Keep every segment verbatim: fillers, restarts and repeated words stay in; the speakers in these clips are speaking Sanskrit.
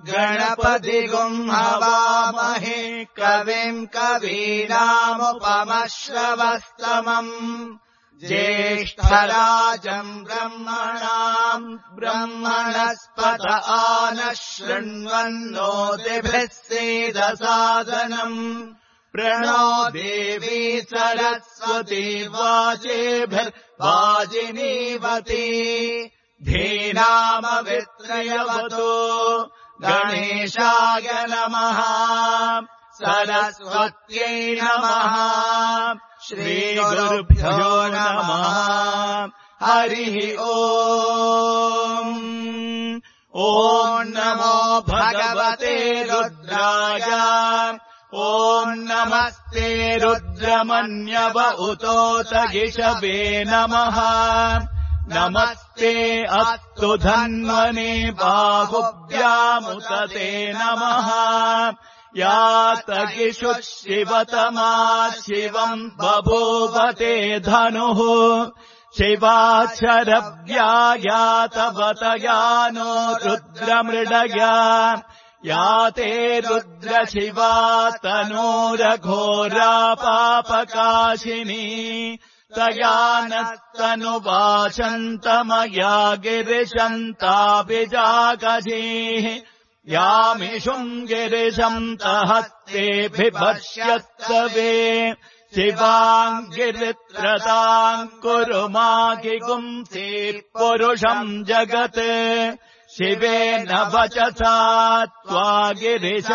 गणपतिगुम् हवामहे कविम् कवीनामुपमश्रवस्तमम् ज्येष्ठराजम् ब्रह्मणाम् ब्रह्मणस्पत आनः शृण्वन्नोतिभिः सीदसादनम् प्रणो देवी सरस्वती वाजेभिर्वाजिनीवती धीनामवित्रयवतो गणेशाय नमः सरस्वत्यै नमः श्रीगुरुभ्यो नमः हरिः ओम् ॐ नमो भगवते रुद्राय ॐ नमस्ते रुद्रमन्यव उतोत गिषवे नमः नमस्ते अस्तु धन्वने बाहुभ्यामुत ते नमः यातगिषुः शिवतमा शिवम् बभूवते धनुः शिवाक्षरव्यायातवतयानो रुद्रमृडया याते रुद्रशिवा तनूरघोरा पापकाशिनी तया नस्तनुवाचन्तमया गिरिशन्ताभिजागजीः यामिषुम् गिरिशन्तहस्तेऽभिभष्यत्सवे शिवाम् गिरित्रताम् कुरु मागिगुंसि पुरुषम् जगत् शिवेन वचसा त्वा गिरिशाच्छावदामसि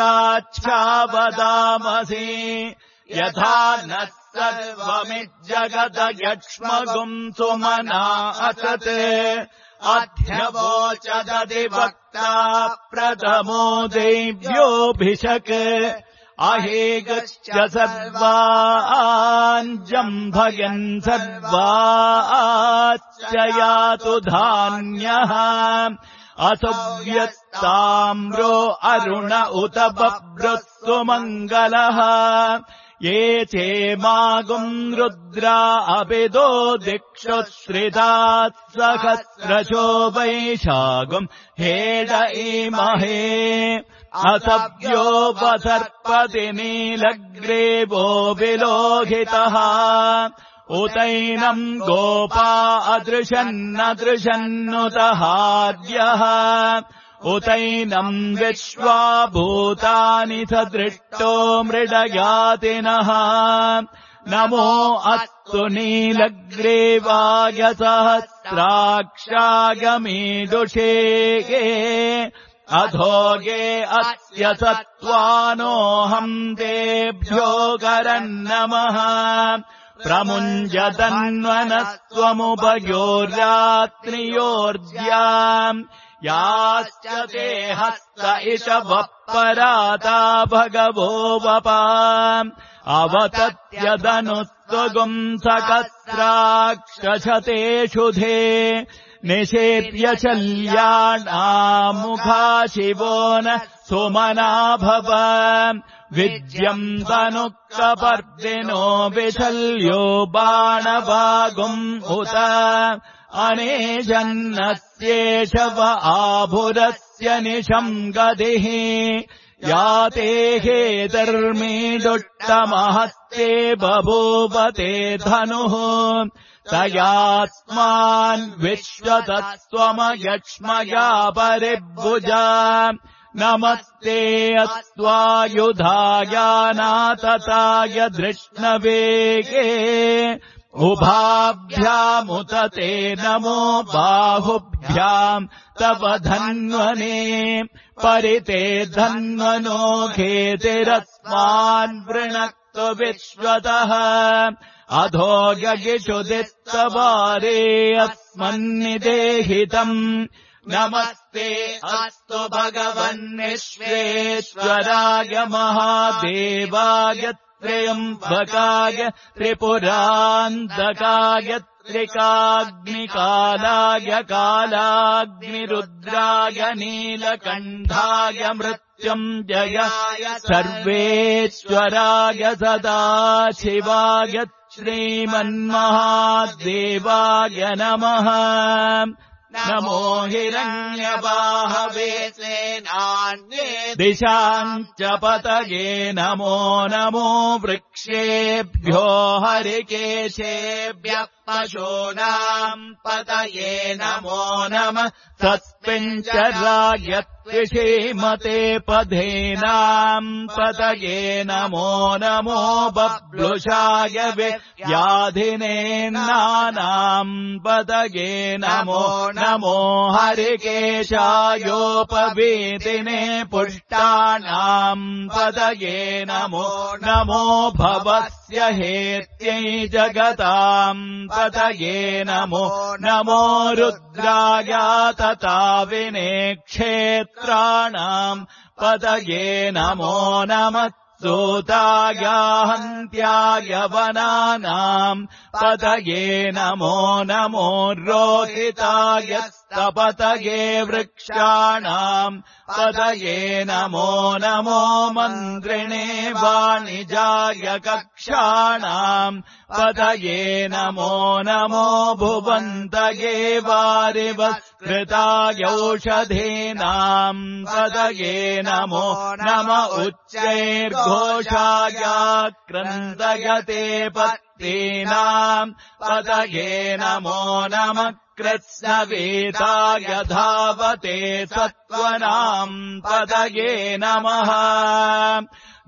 यथा नः सर्वमिज्जगद यक्ष्मगुंसुमना असत् अध्यवोचदधिवक्ता प्रथमो देव्योऽभिषक् अहेगश्च सर्वाञ्जम्भयन् सर्वाच्च यातु धान्यः असुव्यस्ताम्रो अरुण उत बभ्रुः मङ्गलः ये चेमागुम् रुद्रा अभिदो दिक्षु श्रितात् सहस्रशो वैशागुम् हेड इमहे असव्यो वसर्पति नीलग्रीवो विलोहितः उतैनम् गोपा अदृशन्नदृशन्नुतहार्यः उतैनम् विश्वा भूतानि सदृष्टो मृडयातिनः नमो अस्तु नीलग्रीवाय सहस्राक्षाय मीदुषे अधोगे अस्य सत्त्वानोऽहम् तेभ्यो गरन्नमः प्रमुञ्जतन्वनस्त्वमुभयोर्रात्रियोर्द्याम् याश्च ते हस्त इषवः पराता भगवो वपा अवतत्यदनुस्त्वगुम् सकस्राक्षशते शुधे निषेप्य शल्याणामुखा शिवो न सुमना भव विज्यम् तनुक्कपर्दिनो विशल्यो बाणवागुम् उत अनेजन्नस्येषव आभुरस्य निशम् गतिः याते हेतर्मीदुट्टमहस्ते बभूवते धनुः तयास्मान् विश्वतस्त्वमयक्ष्मया परिभुजा नमस्ते अस्त्वायुधायानातताय धृष्णवेगे उभाभ्यामुत ते नमो बाहुभ्याम् तव धन्वने परिते धन्वनो घेतिरस्मान् वृणक्तु विश्वतः अधो यगिषुदिस्तवारे अस्मन्निदेहितम् नमस्ते अस्तु भगवन्विश्वेश्वराय महादेवाय त्र्यम्बकाय त्रिपुरान्तकाय त्रिकाग्निकालाय कालाग्निरुद्राय नीलकण्ठाय मृत्युञ्जयाय सर्वेश्वराय सदाशिवाय श्रीमन्महादेवाय नमः नमो हिरण्यबाहवे सेनान्ये दिशाञ्च पतये नमो नमो वृक्षेभ्यो हरिकेशेभ्यः पशूनाम् पतये नमो नमः तस्मिञ्चराय त्विषीमते पधेनाम् पतये नमो नमो बब्लुषाय व्याधिनेनानाम् पतये नमो नमो हरिकेशायोपवीतिने पुष्टानाम् पतये नमो नमो भवस्य हेत्यै जगताम् पतये नमो नमो रुद्राय तथा विने क्षेत्राणाम् पतये नमो नमः सूताय हन्त्याय वनानाम् पतये नमो नमो रोहिताय स्तपतये वृक्षाणाम् पतये नमो नमो मन्त्रिणे वाणिजाय कक्षाणाम् पतये नमो नमो भुवन्तये वारिवत्कृताय औषधीनाम् पतये नमो नम उच्चैर्घोषाय क्रन्दयते पत्नीनाम् पतये नमो नमः कृत्स्नवेताय धावते सत्त्वनाम् पतये नमः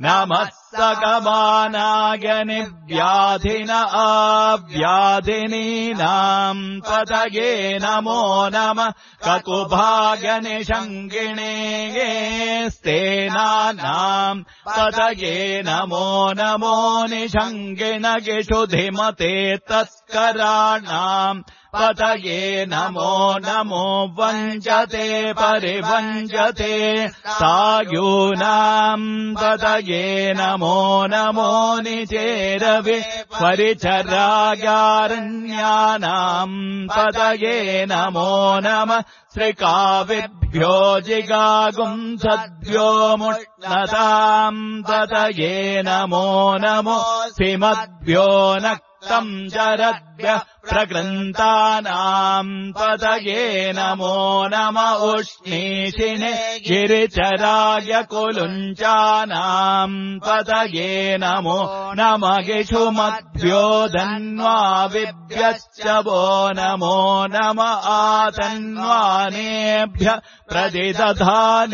नमः सकमानाय निव्याधिन आव्याधिनीनाम् पतये नमो नमः ककुभाय निषङ्गिणे स्तेनानाम् पतये नमो नमो निषङ्गिणगिषुधिमते तस्कराणाम् पतये नमो नमो वञ्जते परिवञ्जते सायूनाम् पतये नमो नमो निचेरवे परिचरायारण्यानाम् पतये नमो नमः श्रिकाविभ्यो जिगागुंसद्भ्यो मुष्णताम् पतये नमो नमो सिमद्भ्यो न तम् चरद्भ्यः प्रकृन्तानाम् पतये नमो नम उष्णीषिणे गिरिचराय कुलुञ्चानाम् पतये नमो नम गिषुमद्भ्यो धन्वाविभ्यश्च वो नमो नम आतन्वानेभ्यः प्रतिदधानेभ्यश्च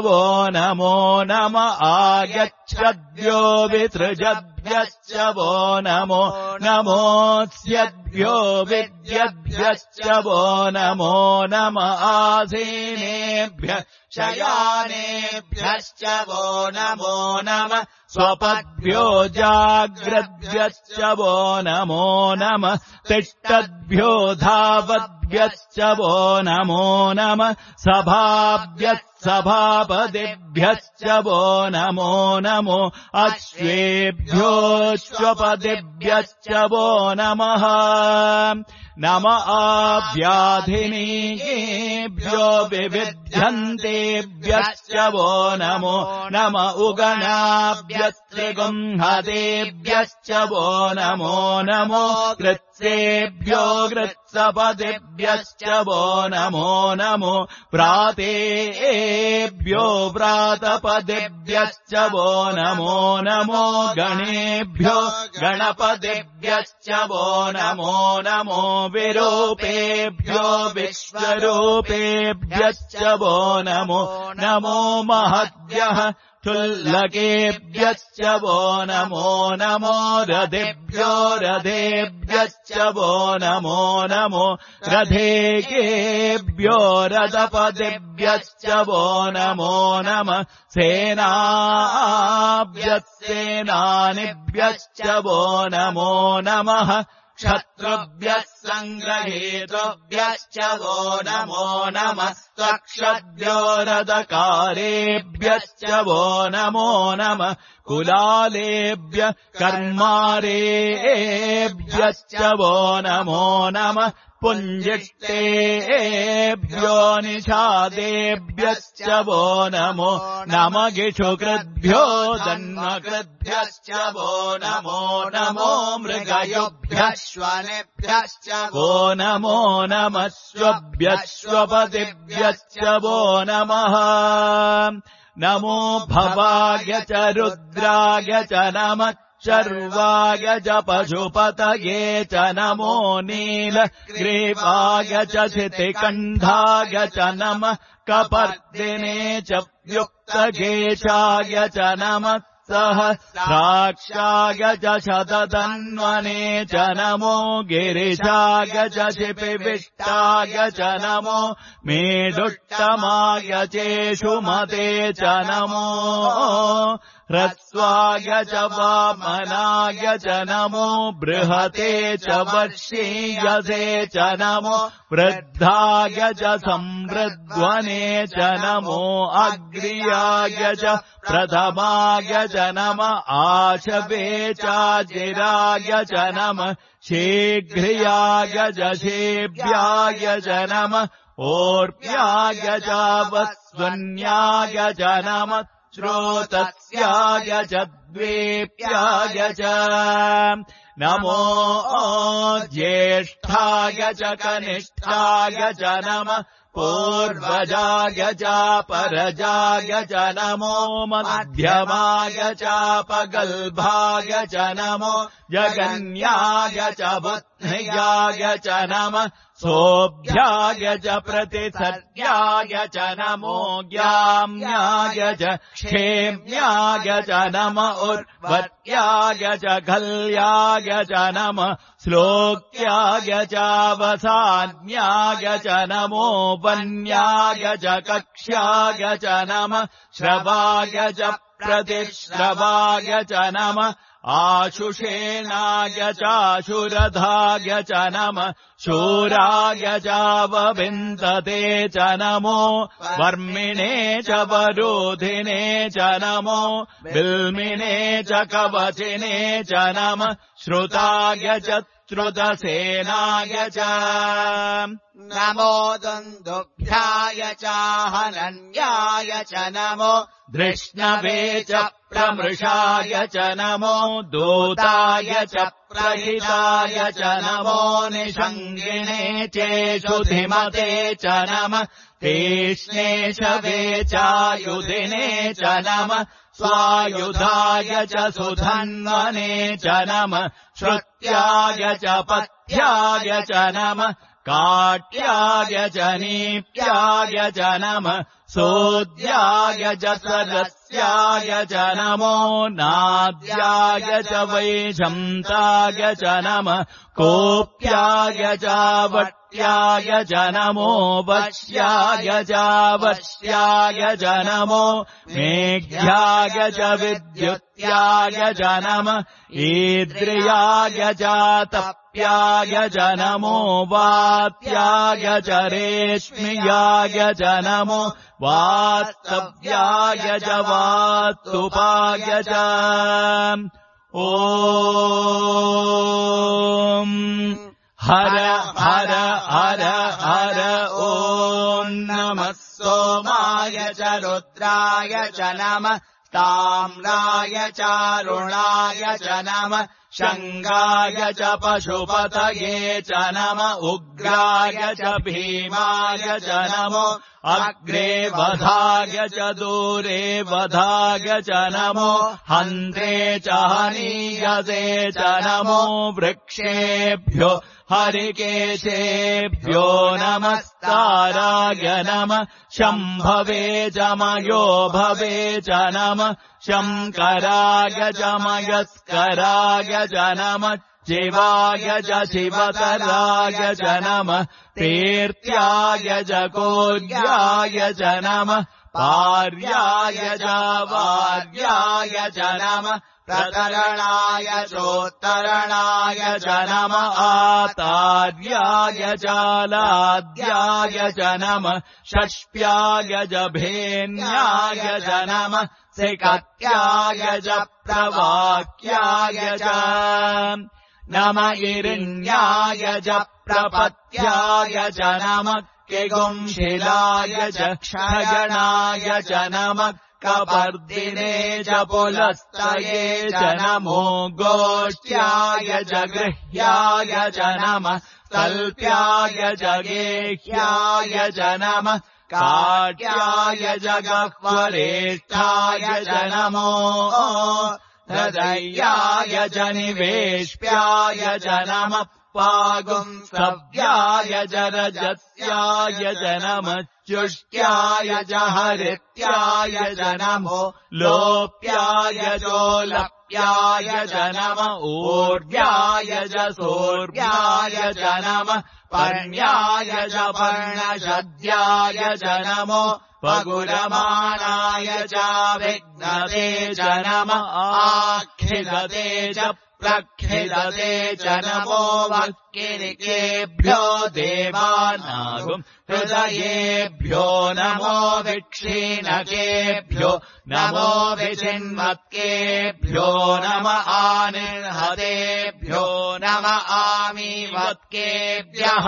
वो नमो नम आगच्छद्भ्यो विसृजद्भ्यश्च वो नमो नमोऽस्यद्भ्यो विद्यद्भ्यश्च वो नमो नम आसीनेभ्यः शयानेभ्यश्च वो नमो नमः स्वपद्भ्यो जाग्रद्भ्यश्च वो नमो नमः तिष्ठद्भ्यो धावद्भ्यश्च वो नमो नमः सभाभ्यः सभापदिभ्यश्च वो नमो नमो अश्वेभ्योऽश्वपदिभ्यश्च वो नमः नम आव्याधिनीभ्यो विविध्यन्तेभ्यश्च वो नमो नम उगणाभ्यस्त्रिगुंहतेभ्यश्च वो नमो नमो कृत्सेभ्यो कृत्सपदिभ्यश्च वो नमो नमो प्रातेभ्यो प्रातपदिभ्यश्च वो नमो नमो गणेभ्यो गणपतिभ्यश्च वो नमो नमो विरूपेभ्यो विश्वरूपेभ्यश्च वो नमो नमो महद्भ्यः क्षुल्लकेभ्यश्च वो नमो नमो रथेभ्यो रथेभ्यश्च वो नमो नमो रथेकेभ्यो रथपतिभ्यश्च वो नमो नमः सेनाभ्यः सेनानिभ्यश्च वो नमो नमः क्षत्रुभ्यः सङ्ग्रहेतुभ्यश्च वो नमो नमः स्वक्षद्भ्यो रथकारेभ्यश्च वो नमो नमः कुलालेभ्यः कर्मारेभ्यश्च वो नमो नमः पुञ्जिष्टेभ्यो निषादेभ्यश्च वो नमो नम गिषुकृद्भ्यो जन्मकृद्भ्यश्च वो नमो नमो मृगयुभ्यः जनिभ्यश्च वो नमो नमस्वभ्यश्वपतिभ्यश्च वो नमः नमो भवाय च रुद्राय च नमः शर्वाय च पशुपतये च नमो नीलग्रीवाय च शितिकण्ठाय च नमः कपर्दिने च युक्तकेशाय च नमः सहस्राक्षाय च शतधन्वने च नमो गिरिशाय च शिपिविष्टाय च नमो मेढुष्टमाय चेषुमते च नमो ह्रस्वाय च वामनाय च नमो बृहते च वर्षीयसे च नमो वृद्धाय च संवृद्ध्वने च नमो अग्र्याय च प्रथमाय च नमः आशवे चाजिराय च नमः शीघ्रियाय च शेभ्याय च नमः ओर्प्याय च वस्वन्याय च नमः श्रोतस्याय च द्वेप्याय च नमो ज्येष्ठाय च कनिष्ठाय च नमः पूर्वजाय च परजाय च नमो मध्यमाय च पगल्भाय च नमो जगन्याय च बुद्ध्याय च नमः सोऽभ्याय च प्रतिसर्याय च नमो ज्ञाम्याय च क्षेम्याय च नम उर्वत्याय च खल्याय च नमः श्लोक्याय च वसान्याय च नमो वन्याय च कक्ष्याय च नमः श्रवाय च प्रतिश्रवाय च नमः आशुषेणाय चाशुरधाय च नमः शूराय चावविन्दते च नमो वर्मिणे च वरोधिने च नमो बिल्मिने च कवचिने च नमः श्रुताय च श्रुतसेनाय च नमो दुन्दुभ्याय च हनन्याय च नमो धृष्णवे च प्रमृषाय च नमो दूताय च प्रहिताय च नमो निषङ्गिणे चेषुधिमते च नमः तीक्ष्णे शवे चायुधिने च नमः स्वायुधाय च सुधन्वने च नमः श्रुत्याय च पथ्याय च नमः काट्याय च नीप्याय च नमः सोद्याय च सरस्याय च नमो नाद्याय च वैशन्ताय च नमः कोप्याय च वट्याय च नमो वश्याय च वश्याय च नमो मेघ्याय च विद्युत्याय च नमः ईद्रियाय च तप्याय च नमो वात्याय च रेश्म्याय च नमो वास्तव्याय च वास्तुपाय च ॐ हर हर हर हर ॐ नमः सोमाय च रुद्राय च नमः ताम्राय चारुणाय च नमः शङ्गाय च पशुपतये च नमः उग्राय च भीमाय च नमो अग्रे वधाय च दूरे वधाय च नमो हन्ते च हनीयसे च नमो वृक्षेभ्यो हरिकेशेभ्यो नमस्ताराय नमः शम्भवे च मयो भवे च नमः शङ्कराय च मयस्कराय च नमः शिवाय च शिवतराय च नमः तीर्थ्याय च कोल्याय च नमः पार्याय च वार्याय च नमः प्रतरणाय चोत्तरणाय च नमः आतार्याय चालाद्याय च नमः षष्प्याय च भेन्याय च नमः सिकत्याय च प्रवाक्याय च नम इरिण्याय च प्रपत्याय च नमः किगुंशिलाय च क्षयणाय च नमः कपर्दिने च पुलस्तये च नमो गोष्ट्याय च गृह्याय च नमः तल्प्याय च गेह्याय च नमः काट्याय च गह्वरेष्ठाय च नमो हृदयाय च निवेश्याय च नमः पागुंसव्याय च रजस्याय च नमः चुष्ट्याय च हरित्याय च नमो लोप्याय चोलप्याय च नमः ऊर्व्याय च सोर्व्याय च नमः पर्ण्याय च पर्णशद्याय च नमो पगुरमाणाय च विघ्नते च नमः आखिलते च प्रखिलते च नमो वक्किरिकेभ्यो देवानागुम् हृदयेभ्यो नमो विक्षीणकेभ्यो नमो विचिन्मत्केभ्यो नम आनिर्हतेभ्यो नम आमीवत्केभ्यः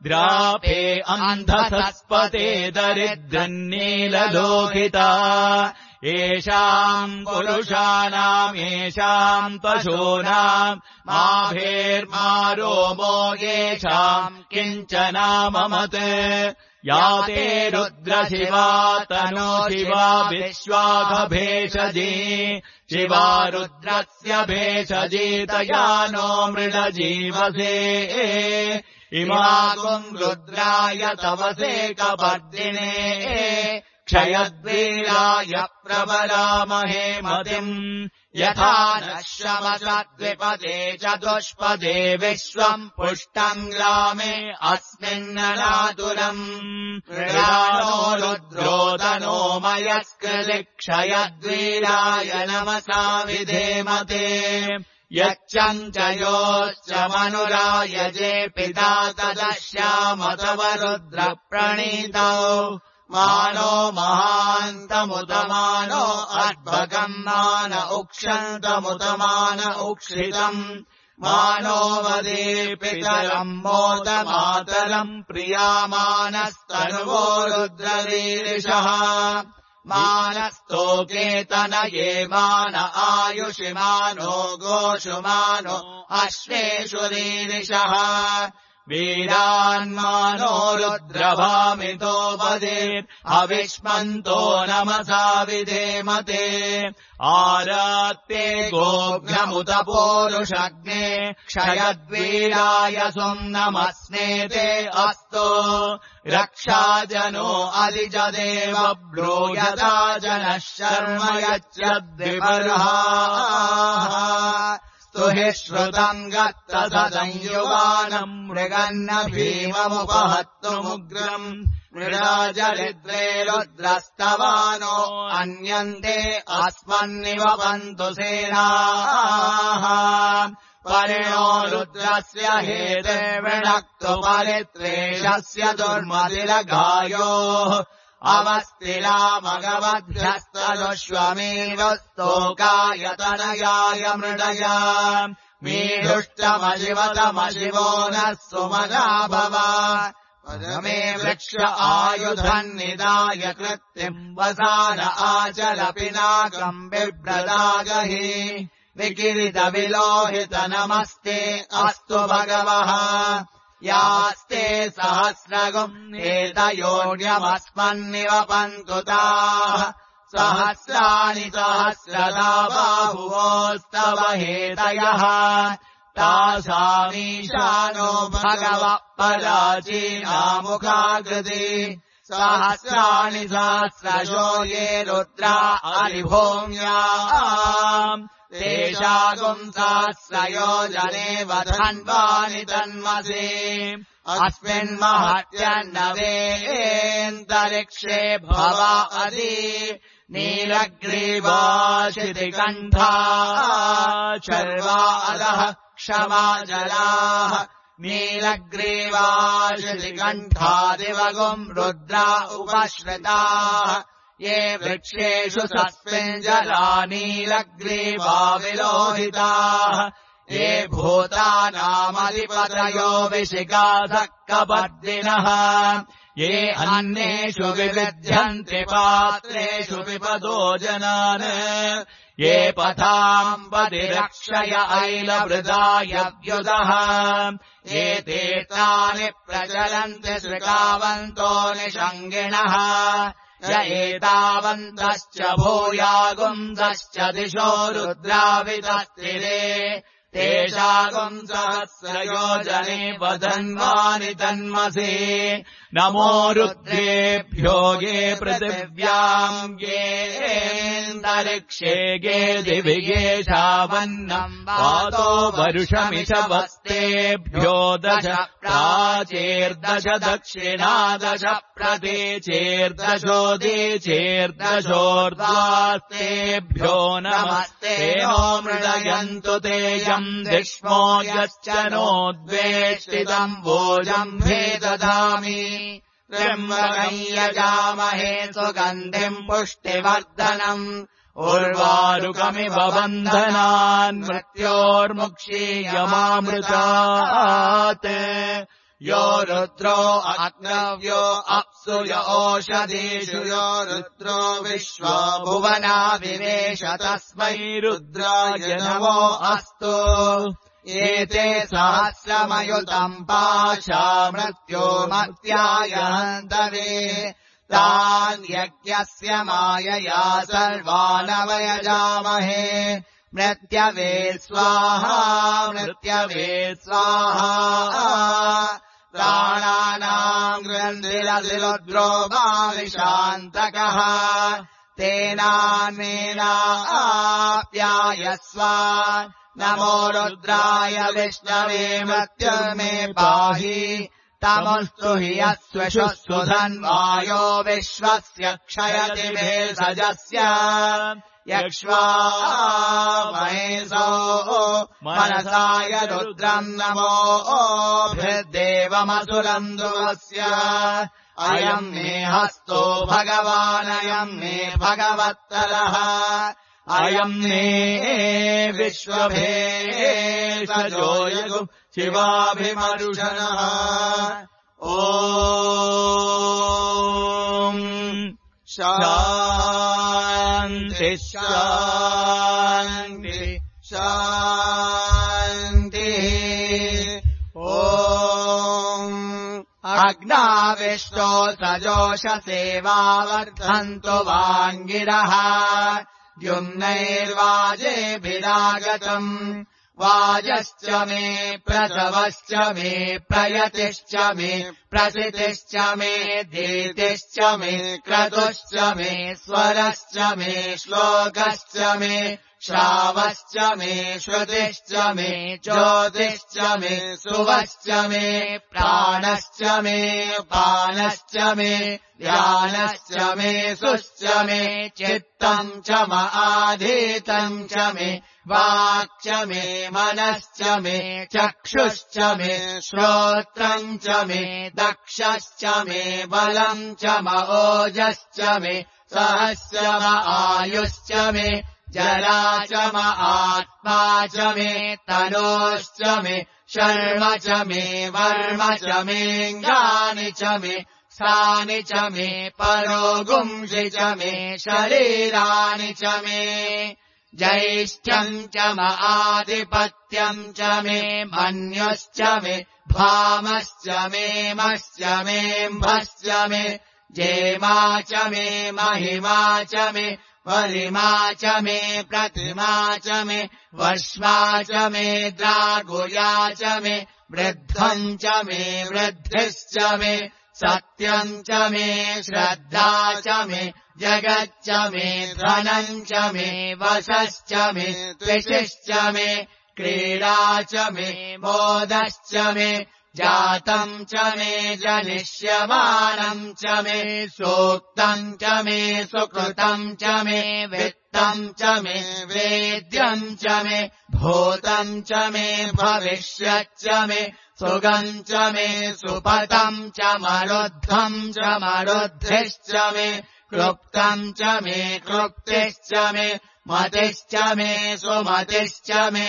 द्रापे अन्धसस्पते दरिद्रन्नीललोहिता येषाम् पुरुषाणाम् येषाम् पशूनाम् माभेर्मारोमो येषाम् किञ्चनाममत् या ते रुद्रशिवा तनो शिवा विश्वाघभेषजी शिवा रुद्रस्य भेषजीतया नो मृडजीवसे इमागुम् रुद्राय तवसे कपर्दिने क्षयद्वीराय प्रबलामहे मतिम् यथा नः शमसद्विपदे चतुष्पदे विश्वम् पुष्टम् ग्रामे अस्मिन्ननातुलम् मृडानो रुद्रोदनो मयस्कृति क्षयद्वीराय नमसा विधेमते यच्चञ्च योश्च मनुरायजे पिता तदश्याम तव रुद्रप्रणीतौ मानो महान्तमुतमानो अद्भगम् मान उक्षन्तमुतमान उक्षितम् मानो वदे पितरम् मोदमातरम् प्रियामानस्तनुवो रुद्ररीरिषः मानस्तोकेतनये मान आयुषि मानो गोषु मानो अश्वेषु रीरिषः वीरान्मानो रुद्रभामितो वदेत् अविष्मन्तो नमसा विधेमते आरात्ते गोघ्नमुत पोरुषग्ने क्षयद्वीराय सुम् नमस्नेते अस्तो रक्षाजनो अधिजदेव ब्रूयता जनः शर्म यच्चद्विबर्हाः स्तुहि श्रुतम् गत्तसंयुवानम् मृगन्न भीममुपहत्तुमुग्रम् मृडाजरिद्रे रुद्रस्तवानो अन्यन्ते अस्मन्निवपन्तु सेनाः परिणो रुद्रस्य हेते विणक्तु परित्रेषस्य दुर्मतिलघायोः अवस्तिलामगवभ्यस्तदुष्वमेवस्तोकायतनयाय मृडया मीढुष्टमशिवतमशिवो नः सुमना भव पदमे वृक्ष आयुधन्निदाय कृत्तिम् वसान आचल पिनाकम् बिभ्रदागहि विकिरितविलोहित नमस्ते अस्तु भगवः यास्ते सहस्रगुम् एतयोऽन्यमस्मन्निवपन्तु ताः सहस्राणि सहस्रदा बाहुवोस्तव हेतयः तासामीशानो भगवः पराचीनामुखाकृति सहस्राणि सहस्रशो ये रुद्रा अरिभूम्याम् तेषागुम् सहस्रयोजने वधन्वानि तन्मसे अस्मिन्महत्यन्नवेन्तरिक्षे भव अदि नीलग्रीवाशितिकण्ठा शर्वा अधः क्षमाजलाः नीलग्रीवाशितिकण्ठा दिवगुम् रुद्रा उपश्रिताः ये वृक्षेषु सस्मिञ्जला नीलग्रीवा विलोहिताः ये भूतानामधिपतयो विशिखासः कपर्दिनः ये अन्येषु विविध्यन्ति पात्रेषु पिबतो जनान् ये पथाम् पतिरक्षय ऐलवृदायव्युदः ये तीर्थानि प्रचलन्ति श्रुकावन्तो निषङ्गिणः य एतावन्तश्च भूयागुंसश्च दिशो रुद्रावितस्थिरे तेषागुम् सहस्रयोजने वदन्वानि तन्मसि नमो रुद्रेभ्यो ये पृथिव्याम् येऽन्तरिक्षे ये दिवि ये शावन्नम् वातो वरुषमिषवस्तेभ्यो दश प्राचेर्दश दक्षिणा दश प्रतीचेर्दशोदीचेर्दशोर्ध्वास्तेभ्यो नमस्ते नो मृडयन्तु तेजम् दिष्मो यश्च नोद्वेष्टितम् भोजम् भे ददामि त्र्यम्बकम् यजामहे सुगन्धिम् पुष्टिवर्धनम् उर्वारुकमिव बन्धनान् मृत्योर्मुक्षीयमामृतात् यो रुद्रो अग्नव्यो अप्सु य ओषधीषु यो रुद्रो विश्वा भुवना विवेश तस्मै रुद्राय नमो अस्तु एते सहस्रमयुतम् पाशा मृत्यो मर्त्याय हन्तवे तान् यज्ञस्य मायया सर्वानवयजामहे मृत्यवे स्वाहा मृत्यवे स्वाहा प्राणानाम् ग्रन्थिरसिरुद्रो भाविशान्तकः तेनान्मेनाप्यायस्व नमो रुद्राय विष्णवे मृत्युर्मे पाहि तमस्तु हि यस्वशु सुधन्वायो विश्वस्य क्षयति भेषजस्य यक्ष्वा महेशो मनसाय रुद्रम् नमो भृद्देवमसुरम् ध्रुवस्य अयम् मे हस्तो भगवानयम् मे भगवत्तरः अयम् मे विश्वभेषजो यगु शिवाभिमरुषणः ॐ शान्ति शान्ति शान्तिः ॐ अग्नाविष्टो सजोषसेवावर्धन्तु वाङ्गिरः द्युम्नैर्वाजेभिरागतम् वाजश्च मे प्रसवश्च मे प्रयतिश्च मे प्रसितिश्च मे दीतिश्च मे क्रतुश्च मे स्वरश्च मे श्लोकश्च मे श्रावश्च मे श्रुतिश्च मे ज्योतिश्च मे सुवश्च मे प्राणश्च मे पानश्च मे ध्यानश्च मे सुश्च मे चित्तम् च माधीतम् च मे वाक् च मे मनश्च मे चक्षुश्च मे श्रोत्रम् च मे दक्षश्च मे बलम् च ओजश्च मे सहश्च आयुश्च मे जरा च आत्मा च मे तनोश्च मे शर्म च मे वर्म च मेऽङ्गानि च मे सानि च मे परोगुंसि च मे शरीराणि च मे ज्यैष्ठ्यम् च आधिपत्यम् च मे मन्युश्च मे भामश्च मे मश्च मेऽम्भश्च मे जेमा च मे महिमा च मे वलिमा च मे प्रतिमा च मे वश्वा च मे द्रागुया च मे वृद्धम् च मे वृद्धिश्च मे सत्यम् च मे श्रद्धा च मे जगच्च मे धनम् च मे वशश्च मे त्विषिश्च मे क्रीडा च मे मोदश्च मे जातम् च मे जनिष्यमानम् च मे सूक्तम् च मे सुकृतम् च मे वित्तम् च मे वेद्यम् च मे भूतम् च मे भविष्यच्च मे सुगम् च मे सुपतम् च मरुद्धम् च मरुद्धिश्च मे क्लुप्तम् च मे क्लुप्तिश्च मे मतिश्च मे सुमतिश्च मे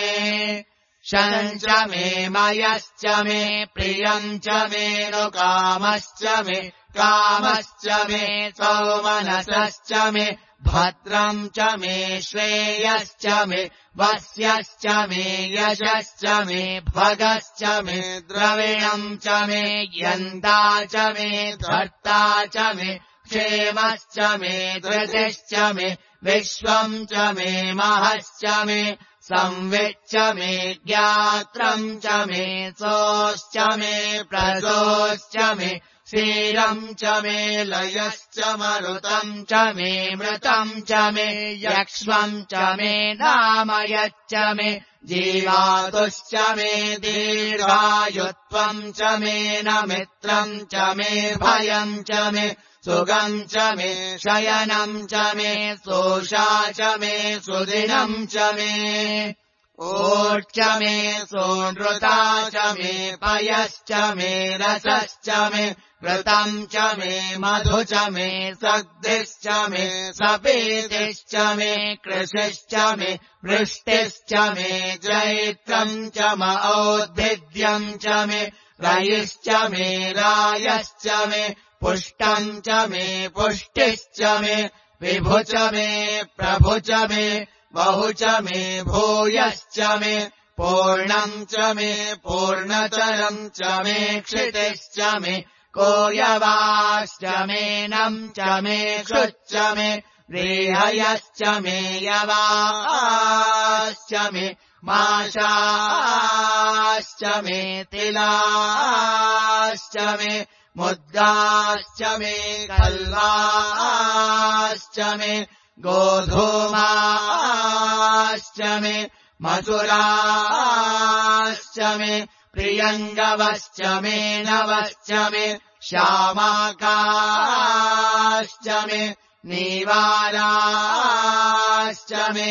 शम् च मे मयश्च मे प्रियम् च मे नुकामश्च मे कामश्च मे सौमनसश्च मे भद्रम् च मे श्रेयश्च मे वस्यश्च मे यशश्च मे भगश्च मे द्रविणम् च मे यन्ता च मे धर्ता च मे क्षेमश्च मे धृतिश्च मे विश्वम् च मे महश्च मे संविच्च मे ज्ञात्रम् च मे सोश्च मे प्रसोश्च मे क्षीरम् च मे लयश्च मरुतम् च मे मृतम् च मे यक्ष्मम् च मे नामयच्च मे जीवातुश्च मे दीर्घायुत्वम् च मे न मित्रम् च मे भयम् च मे सुगम् च मे शयनम् च मे सोषा च मे सुदिनम् च मे ओच्च मे सोनृता च मे पयश्च मे रसश्च मे व्रतम् च मे मधु च मे सद्धिश्च मे सपीतिश्च मे कृषिश्च मे वृष्टिश्च मे जैत्रम् च म औद्भिद्यम् च मे रयिश्च मे रायश्च मे पुष्टम् च मे पुष्टिश्च मे विभु च मे प्रभु च मे बहु च मे भूयश्च मे पूर्णम् च मे पूर्णतरम् च मे क्षितिश्च मे कोयवाश्च मे नम् च मे क्षुच्च मे रेहयश्च मे यवाश्च मे माशाश्च मे तिलाश्च मे मुद्गाश्च मे कल्वाश्च मे गोधूमाश्च मे मधुराश्च मे प्रियङ्गवश्च मे नवश्च मे श्यामाकाश्च मे नीवाराश्च मे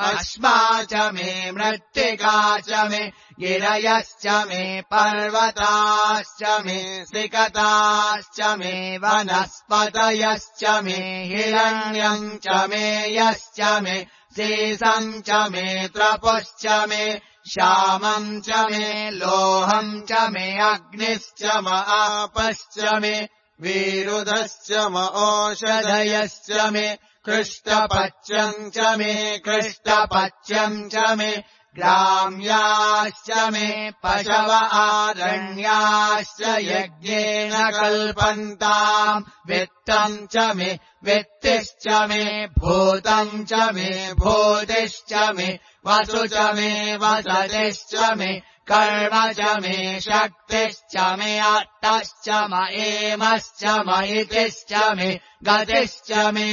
अश्मा च मे मृत्तिका च मे गिरयश्च मे पर्वताश्च मे सिकताश्च मे वनस्पतयश्च मे हिरण्यम् च मे यश्च मे सीसम् च मे त्रपुश्च मे श्यामम् च मे लोहम् च मे अग्निश्च म आपश्च मे वीरुधश्च म ओषधयश्च मे कृष्टपच्यम् च मे कृष्टपच्यम् च मे ग्राम्याश्च मे पशव आरण्याश्च यज्ञेन कल्पन्ताम् वित्तम् च मे वित्तिश्च मे भूतम् च मे भूतिश्च मे वसु च मे वसतिश्च मे कर्म च मे शक्तिश्च मे अट्टश्च म एमश्च म इतिश्च मे गतिश्च मे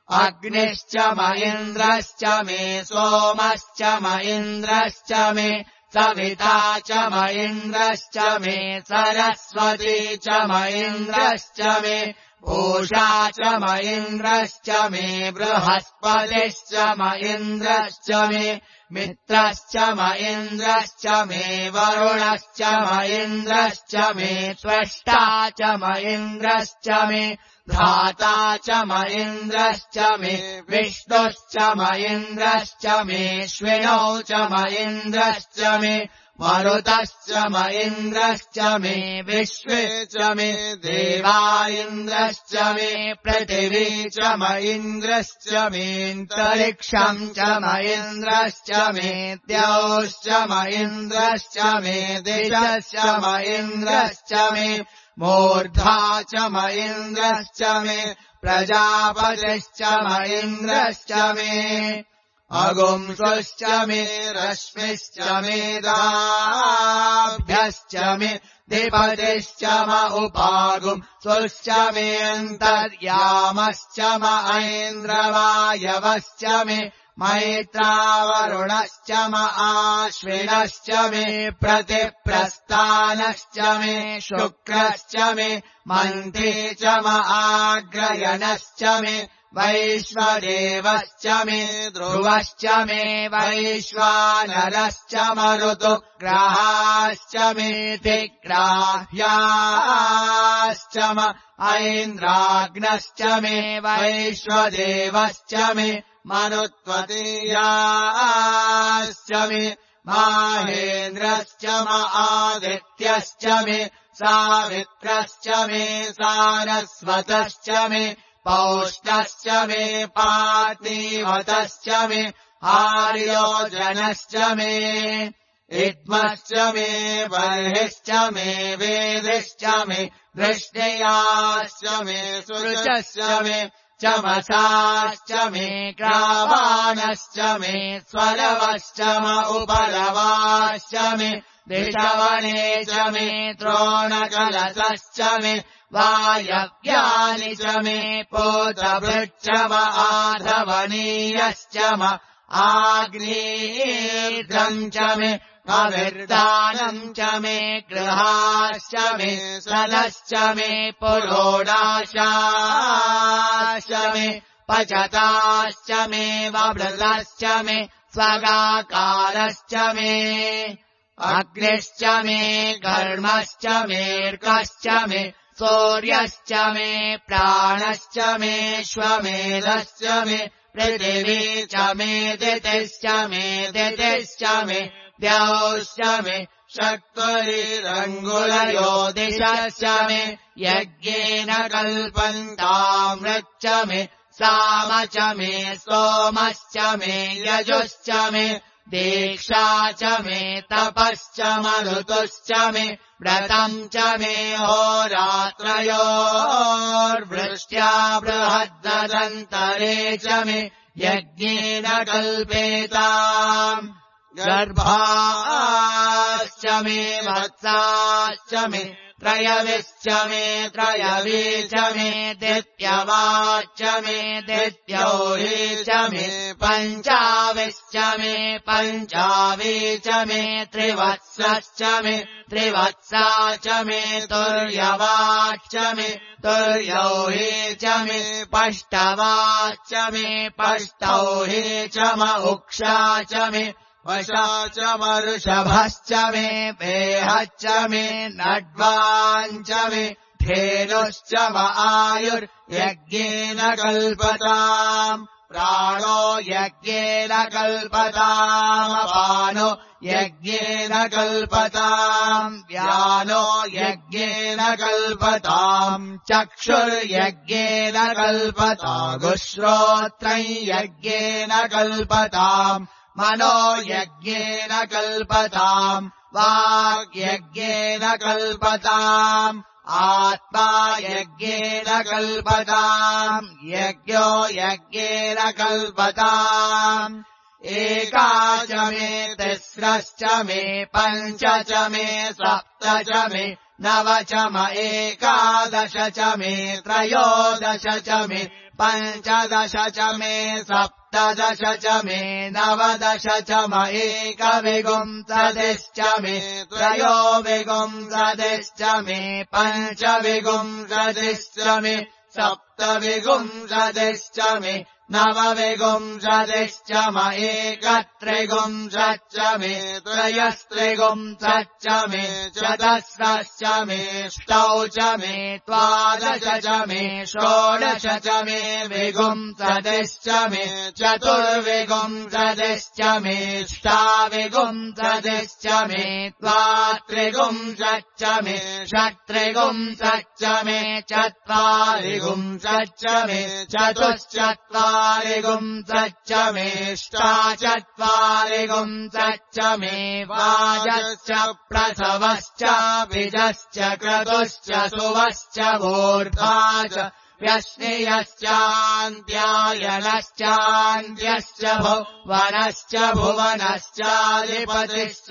अग्निश्च म इन्द्रश्च मे सोमश्च म इन्द्रश्च मे सविता च म इन्द्रश्च मे सरस्वती च म इन्द्रश्च मे पूषा च म इन्द्रश्च मे बृहस्पतिश्च म इन्द्रश्च मे मित्रश्च म इन्द्रश्च मे वरुणश्च म इन्द्रश्च मे त्वष्टा च म इन्द्रश्च मे धाता च म इन्द्रश्च मे विष्णुश्च म इन्द्रश्च मे श्विनौ च म इन्द्रश्च मे मरुतश्च म इन्द्रश्च मे विश्वे च मे देवा इन्द्रश्च मे पृथिवी च म इन्द्रश्च मेऽन्तरिक्षम् च म इन्द्रश्च मे द्यौश्च म इन्द्रश्च मे दिशश्च म इन्द्रश्च मे मूर्धा च म इन्द्रश्च मे प्रजापतिश्च म इन्द्रश्च मे अगुंसुश्च मे रश्मिश्च मे दाभ्यश्च मे दिपतिश्च म उपागुंसुश्च मे अन्तर्यामश्च म ऐन्द्रवायवश्च मे मैत्रावरुणश्च म आश्विनश्च मे प्रतिप्रस्थानश्च मे शुक्रश्च मे मन्थे च म आग्रयणश्च मे वैश्वदेवश्च मे ध्रुवश्च मे वैश्वानरश्च मरुतुग्राश्च मेऽतिग्राह्याश्च म ऐन्द्राग्नश्च मे वैश्वदेवश्च मे मरुत्वतीयाश्च मे माहेन्द्रश्च आदित्यश्च मे सावित्रश्च मे सारस्वतश्च मे पौष्टश्च मे पार्थिवतश्च मे आर्योजनश्च मे इद्मश्च मे बर्हिश्च मे वेदिश्च मे वृष्णयाश्च मे सुरुचश्च मे चमसाश्च मे ग्रावाणश्च मे स्वरवश्च म उपलवाश्च मे दिशवणे च मे द्रोणकलशश्च मे वायव्यानि च मे पोतभृच्च म आधवनीयश्च म आग्नेर्घ्रम् च मे अविर्दानम् च मे गृहाश्च मे सदश्च मे पुरोडाशाश्च मे पचताश्च मे वभृतश्च मे स्वगाकारश्च मे अग्निश्च मे घर्मश्च मेऽर्कश्च मे सूर्यश्च मे प्राणश्च मे श्वमेधश्च मे पृथिवी च मे दितिश्च मे दितिश्च मे द्यौश्च मे शक्तिरङ्गुलयो दिशश्च मे यज्ञेन कल्पन्तामृच्च मे साम च मे सोमश्च मे यजुश्च मे दीक्षा च मे तपश्च मरुतुश्च मे व्रतम् च मे होरात्रयोर्वृष्ट्या बृहद्दन्तरे च मे यज्ञेन कल्पेताम् गर्भाश्च मे वत्साश्च मे त्रयविश्च मे त्रयवी च मे दित्यवाच्च मे दित्योहि च मे पञ्चाविश्च मे पञ्चावी च मे त्रिवत्सश्च मे त्रिवत्सा च मे तुर्यवाच्च मे तुर्यौहि च मे पष्टवाच्च मे पष्टौहि च म उक्षा च मे वशा च मरुषभश्च मे वेहश्च मे नड्वाञ्च मे धेनुश्च म आयुर्यज्ञेन कल्पताम् प्राणो यज्ञेन कल्पताम् अपानो यज्ञेन कल्पताम् व्यानो यज्ञेन कल्पताम् चक्षुर्यज्ञेन कल्पतागुश्रोत्रम् यज्ञेन कल्पताम् मनो यज्ञेन कल्पताम् वाग्यज्ञेन कल्पताम् आत्मा यज्ञेन कल्पताम् यज्ञो यज्ञेन कल्पताम् एका च मे तिस्रश्च मे पञ्च च मे सप्त च मे नव च म एकादश च मे त्रयोदश च मे पञ्चदश च मे सप्तदश च मे नवदश च म एकविंशतिश्च मे त्रयोविंशतिश्च मे पञ्चविंशतिश्च मे सप्तविंशतिश्च मे नवविंशतिश्च म एकत्रिंशच्च मे त्रयस्त्रिंशच्च मे चतस्रश्च मे ष्टौ च मे द्वादश च मे षोडश च मे विंशतिश्च मे चतुर्विंशतिश्च मे ष्टाविंशतिश्च मे द्वात्रिंशच्च मे षट्त्रिंशच्च मे चत्वारिंशच्च मे चतुश्चत्वारिंशच्च मे ष्टाचत्वारिंशच्च मे वाजश्च प्रसवश्च बीजश्च क्रतुश्च सुवश्च मूर्धा च व्यश्नियश्चान्त्यायनश्चान्त्यश्च भुवनश्च भुवनश्चाधिपतिश्च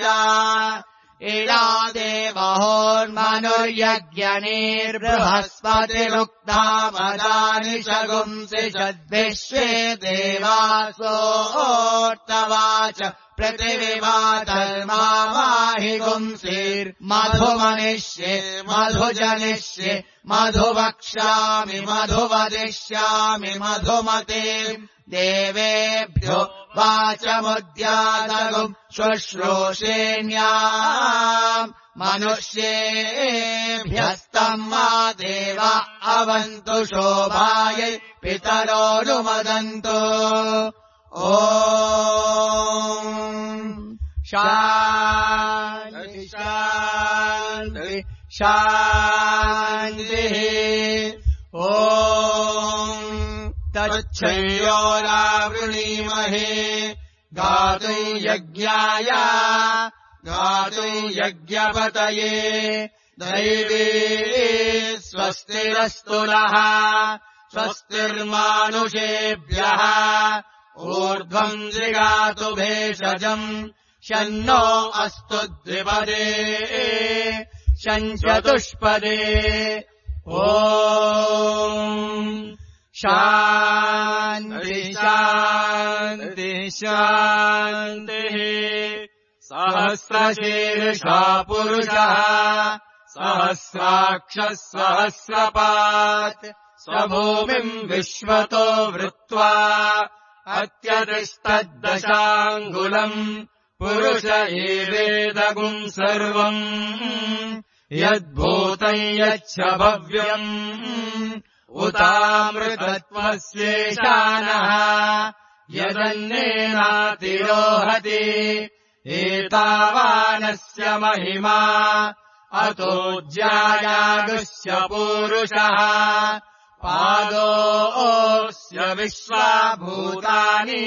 इडा देवहोर्मनुर्यज्ञनिर्बृहस्पतिरुक्ता मदानि शगुंसि षद्विश्वे देवासोऽर्तवाच पृथिवीवातर्माहि गुंसीर्मधुमनिष्ये मधुजनिष्ये मधुवक्ष्यामि मधुवदिष्यामि मधुमते देवेभ्यो वाचमुद्यातगुम् शुश्रूषेण्याम् मनुष्येभ्यस्तम् मा देवा अवन्तु शोभायै पितरोऽनुमदन्तु ॐ शान्ति शान्ति शान्तिः ॐ तच्छयोरावृणीमहे गातुम् यज्ञाय गातुम् यज्ञपतये दैवे स्वस्तिरस्तु नः स्वस्तिर्मानुषेभ्यः ऊर्ध्वम् जिगातु भेषजम् शन्नो अस्तु द्विपदे शञ्चतुष्पदे ॐ शान्ति शान्ति शान्तिः सहस्रशीर्षा पुरुषः सहस्राक्षः सहस्रपात् स्वभूमिम् विश्वतो वृत्वा अत्यतिष्ठद्दशाङ्गुलम् पुरुष एवेदगुम् सर्वम् यद्भूतम् यच्च भव्यम् उतामृतत्वस्येशानः यदन्नेनातिरोहति एतावानस्य महिमा अतो ज्यायागुस्य पूरुषः पादोऽस्य विश्वाभूतानि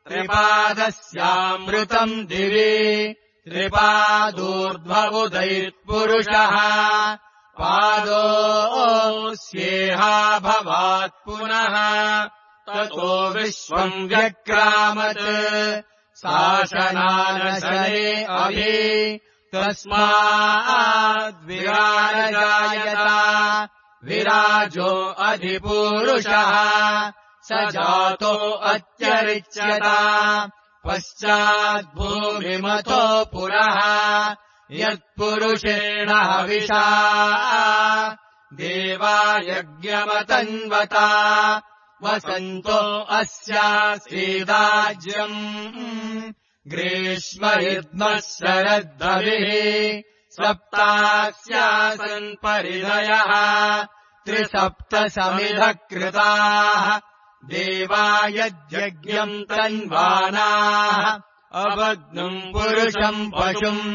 त्रिपादस्यामृतम् दिवि त्रिपादूर्ध्वबुधैर्पुरुषः पादोऽस्येहा भवात् पुनः ततो विश्वम् व्यक्रामत् शासनानशने अभि तस्माद्विराजायत विराजो अधिपूरुषः स जातो अत्यरिच्यत पश्चाद्भूमिमतो पुरः यत्पुरुषेण हविषा देवा यज्ञमतन्वता वसन्तो अस्यासीदाज्यम् ग्रीष्मयुग्मः शरद्धविः सप्तास्यासन् परिधयः त्रिसप्तसमिधः कृताः देवा यज्ञम् तन्वानाः अवग्नम् पुरुषम् पशुम्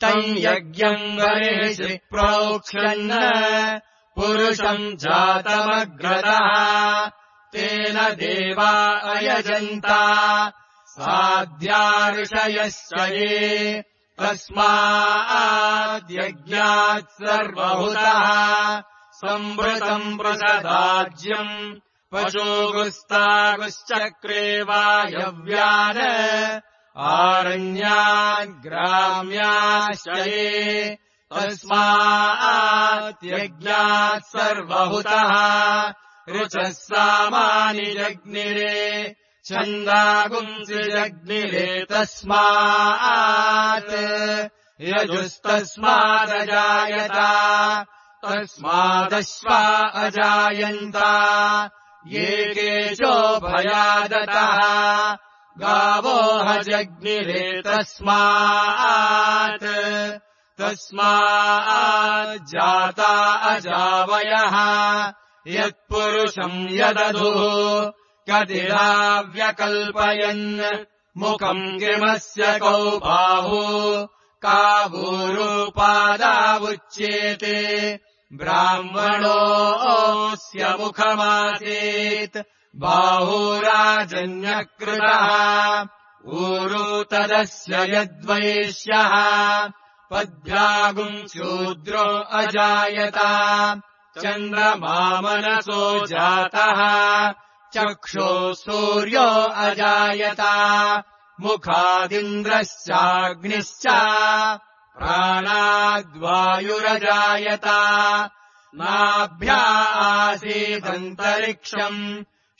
तम् यज्ञम् वरिषि प्रोक्षन् पुरुषम् जातमग्रतः तेन देवा अयजन्ता साध्या ऋषयश्च ये तस्माद्यज्ञात् सर्वहुतः संवृतम् प्रसदाज्यम् पशुगुस्तागुश्चक्रे वायव्यान् आरण्याग्राम्याश्च ये तस्माद्यज्ञात् सर्वहुतः ऋचः सामानि जग्निरे छन्दागुंसि जग्निरे तस्मात् यजुस्तस्मादजायत तस्मादश्वा अजायन्त ये केशो भयादतः गावो हजग्निरे तस्मात् तस्माज्जाता अजावयः यत्पुरुषम् यदधुः कदिराव्यकल्पयन् मुखम् किमस्य कौ बाहु कावूरूपादावुच्येते ब्राह्मणोऽस्य मुखमासीत् बाहुराजन्यकृतः ऊरू तदस्य यद्वैश्यः पद्भ्यागुम् शूद्रो अजायत चन्द्रमामनसो जातः चक्षो सूर्यो अजायत मुखादिन्द्रश्चाग्निश्च प्राणाद्वायुरजायत नाभ्या आसीदन्तरिक्षम्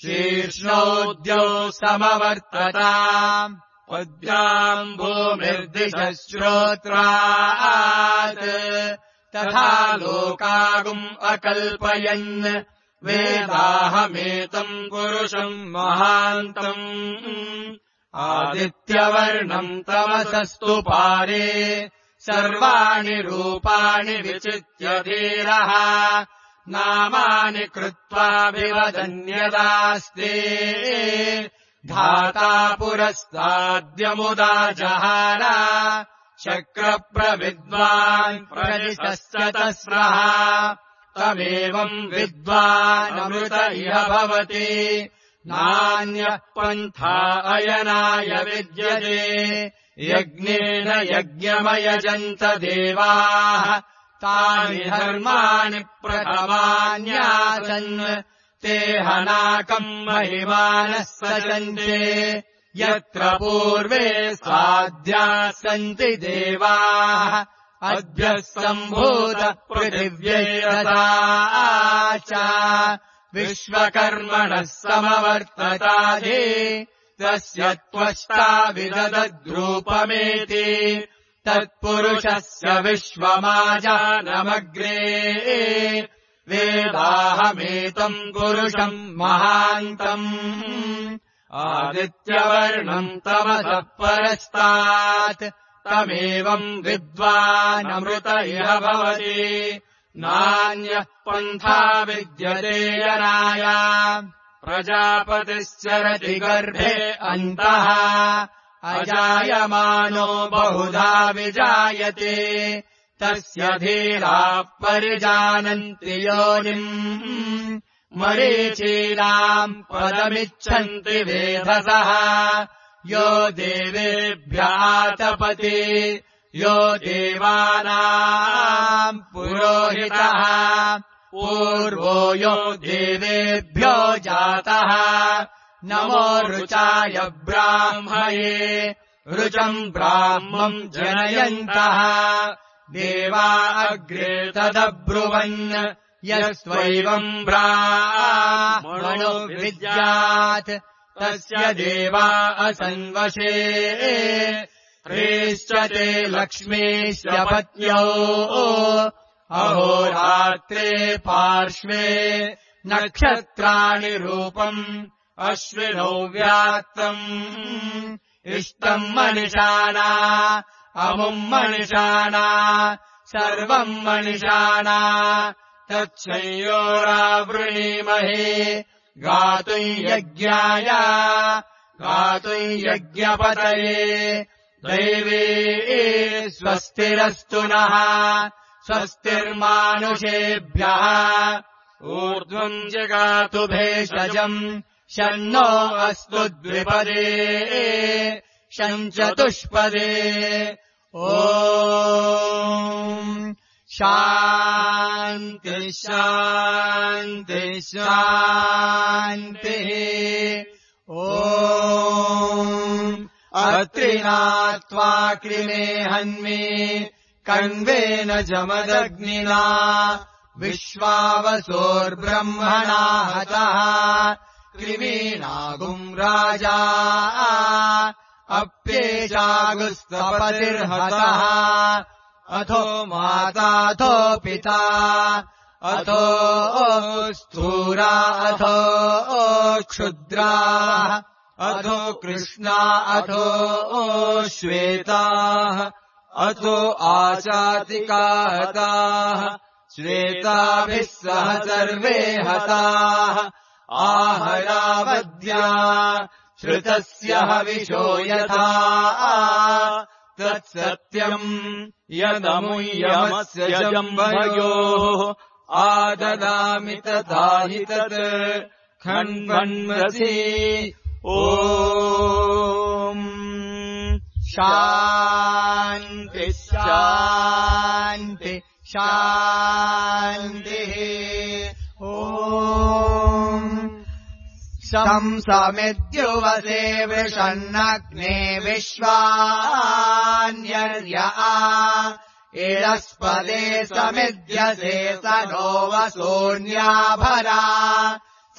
शीर्ष्णोद्यौ समवर्तत पद्भ्याम् भूमिर्दिशः श्रोत्रात् तथा लोकागुम् अकल्पयन् वेदाहमेतम् पुरुषम् महान्तम् आदित्यवर्णम् तमसस्तु पारे सर्वाणि रूपाणि विचित्य धीरः नामानि कृत्वाभिवदन्यदास्ते धाता पुरस्ताद्यमुदा जहार शक्रप्रविद्वान् प्रदिशस्य तस्रः तमेवम् विद्वानमृत इह भवति नान्यः पन्था अयनाय विद्यते यज्ञेन यज्ञमयजन्त देवाः तानि धर्माणि प्रथमान्यासन् ते हनाकम् महिमानः सजन्ते यत्र पूर्वे साध्याः सन्ति देवाः अद्भ्यः सम्भूत पृथिव्यैरता च विश्वकर्मणः समवर्तताधि तस्य त्वष्टा विददद्रूपमेति तत्पुरुषस्य विश्वमाजानमग्रे वेदाहमेतम् पुरुषम् महान्तम् आदित्यवर्णम् तमसः परस्तात् तमेवम् विद्वानमृत इह भवति नान्यः पन्था विद्यते यनाय प्रजापतिश्चरति गर्भे अन्तः अजायमानो बहुधा विजायते तस्य धीराः परिजानन्ति योनिम् मरीचीनाम् पदमिच्छन्ति वेधसः यो देवेभ्यातपति यो देवानाम् पुरोहितः पूर्वो यो देवेभ्यो जातः नमो ऋचाय ब्राह्मये ऋचम् ब्राह्मम् जनयन्तः देवा अग्रे तदब्रुवन् यस्त्वैवम् ब्राह्मणो विद्यात् तस्य देवा असन्वशे ह्रीश्च ते लक्ष्मीश्च पत्न्यो अहोरात्रे पार्श्वे नक्षत्राणि रूपम् अश्विनौ व्यात्तम् इष्टम् मनिषाणा अमुम् मनिषाणा सर्वम् मनिषाणा तच्छयोरावृणीमहे गातुम् यज्ञाय गातुम् यज्ञपतये दैवे स्वस्तिरस्तु नः स्वस्तिर्मानुषेभ्यः ऊर्ध्वम् जगातु भेषजम् शन्नो अस्तु द्विपदे शञ्चतुष्पदे ॐ शान्ति शान्ति शान्तिः ॐ अत्रिनात्वा कृमे हन्मे कण्वेन जमदग्निना विश्वावसोर्ब्रह्मणा हतः कृमीनागुम् राजा अप्येजागुस्तपतिर्हतः अथो माताथो पिता अथो स्थूरा अथो क्षुद्रा अथो कृष्णा अथो श्वेताः अथो आचातिका हताः श्वेताभिः सह सर्वे हताः आहरावद्या श्रुतस्य हविषो यथा तत्सत्यम् यदमुयमस्य जम्भयोः आददामि तथा हि तत् खण्वन्वसि ॐ शान्ति शान्ति शान्तिः ॐ शंसमिद्युवसे वृषन्नग्ने विश्वान्यर्या एरस्पदे समिद्यसे स नो वसून्याभरा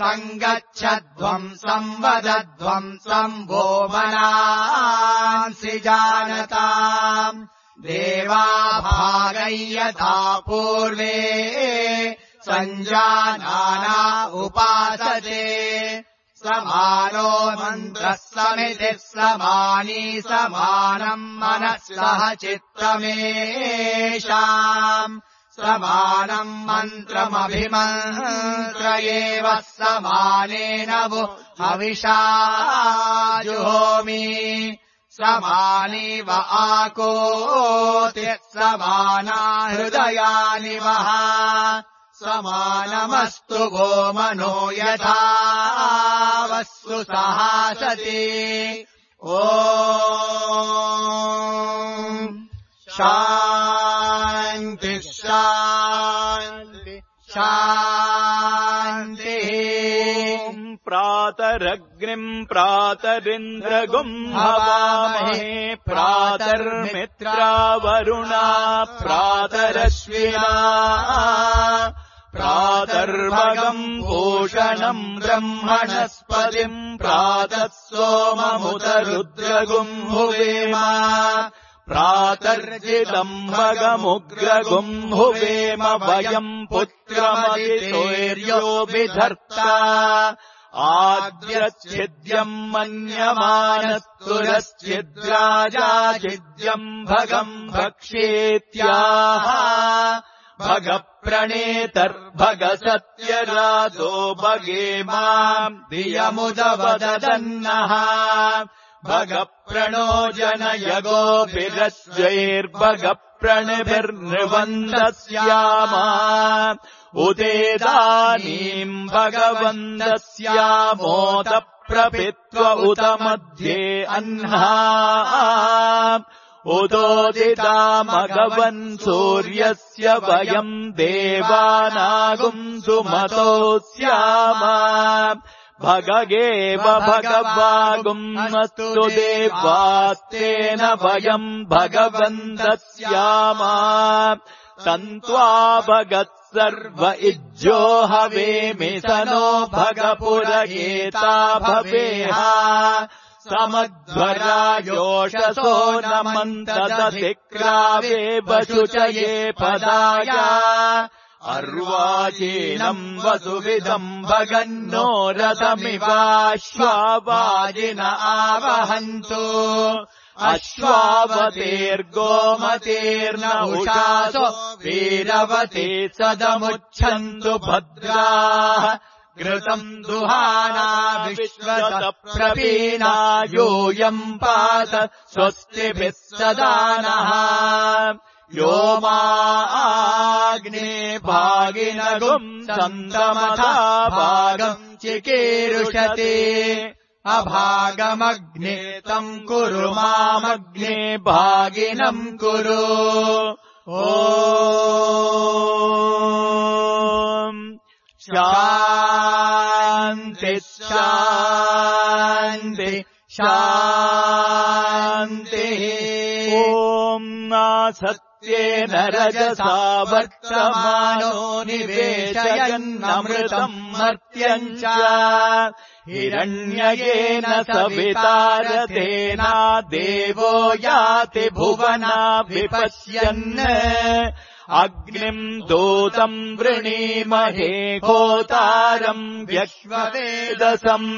सङ्गच्छध्वम् संवदध्वम् सम्भो मनांसि जानताम् देवा भागै यथा पूर्वे सञ्जानाना उपासते समानो मन्त्रः समितिः समानी समानम् मनः सह चित्तमेषाम् समानम् मन्त्रमभिमन्त्रयेव समानेन वो हविषा जुहोमि समानीव आकोति समाना हृदयानि वः समानमस्तु गोमनो यथा वस्तु सहासति ॐ शान्ति शान्ति शान्तिः प्रातरग्निम् प्रातरिन्द्रगुम् हवामहे प्रातर्मित्रावरुणा प्रातरश्विना प्रातर्भगम् भूषणम् ब्रह्मणस्पतिम् प्रातः सोममुतरुद्रगुम् हुवेम प्रातर्जितम् भगमुग्रगुम् हुवेम वयम् पुत्रमतितोर्यो विधर्ता आद्यच्छिद्यम् मन्यमानस्तुरश्चिद्राजाच्छिद्यम् भगम् भक्षेत्याह भगप्रणेतर्भग सत्यराजो भगे माम् धियमुदवदन्नः भगप्रणो जनयगोभिरश्वैर्भगप्रणिभिर्नृवन्दस्याम उदेदानीम् भगवन्दस्यामोत प्रपित्व उत मध्ये अह्ना उदोदिता मघवन् सूर्यस्य वयम् देवानागुम् सुमतोऽस्याम भगगेव भगवागुम् अस्तु देवास्तेन वयम् भगवन्तस्याम तन्त्वा भगत् सर्व इज्जो हवेमि स नो भगपुरगेता भवेह समध्वरायोषसो नमन्तदतिक्रावे वशुचये पदाय अर्वाचीनम् वसुविदम् भगन्नो रथमिवाश्वावाजिन आवहन्तु अश्वावतेर्गोमतेर्न उषासो वीरवते सदमुच्छन्तु भद्राः घृतम् दुहाना विश्वत प्रवीणा यूयम् पात स्वस्तिभिः सदा नः यो माग्ने भागिनगुम् सन्दमथा भागम् चिकीर्षति अभागमग्ने तम् कुरु मामग्ने भागिनम् कुरु ॐ शान्ति शान्ति शान्तिः ॐ नासत्येन रजसा वर्तमानो निवेशयन्नमृतम् मर्त्यम् च हिरण्ययेन सवितारतेना देवो याति भुवना विपश्यन् अग्निम् दूतम् वृणीमहे होतारम् व्यश्ववेदसम्